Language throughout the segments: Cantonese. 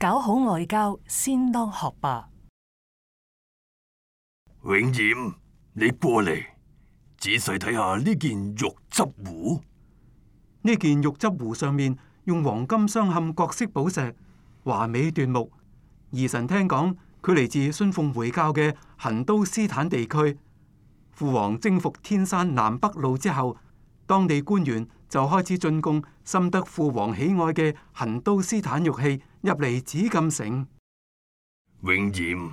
搞好外交，先當學霸。永琰，你過嚟，仔細睇下呢件玉質壺。呢件玉質壺上面用黃金鑲嵌各色寶石，華美奪目。兒臣聽講，佢嚟自信奉回教嘅痕都斯坦地區。父王征服天山南北路之後，當地官員就開始進貢深得父王喜愛嘅痕都斯坦玉器入嚟紫禁城。永琰，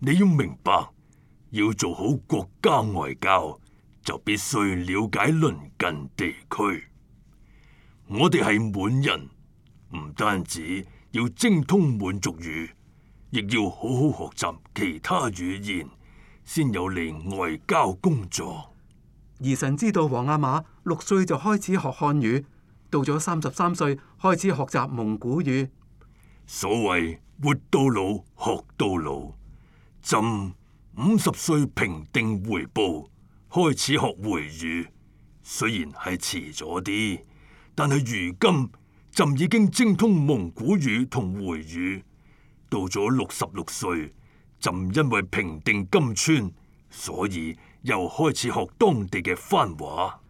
你要明白，要做好國家外交，就必須了解鄰近地區。我哋係滿人，唔單止要精通滿族語，亦要好好學習其他語言，先有利外交工作。兒臣知道皇阿瑪6歲就開始學漢語，到咗33歲開始學習蒙古語。所謂活到老學到老，朕50歲平定回部，開始學回語，雖然係遲咗啲，但係如今朕已經精通蒙古語同回語。到咗66歲，朕因為平定金川，所以又開始學當地嘅番話。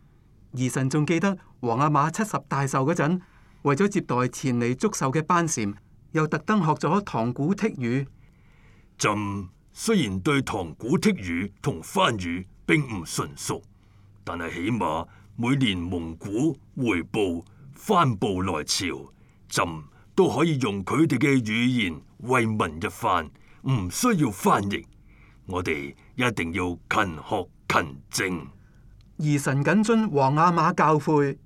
兒臣仲記得皇阿瑪70大壽嗰陣，為咗接待前嚟祝壽嘅班禪，又特登學咗唐古剔語。朕雖然對唐古剔語同番語並唔純熟，但係起碼每年蒙古回部、番部來朝，朕都可以用佢哋嘅語言慰問一番，唔需要翻譯。我哋一定要勤學勤政。兒臣謹遵皇阿瑪教誨。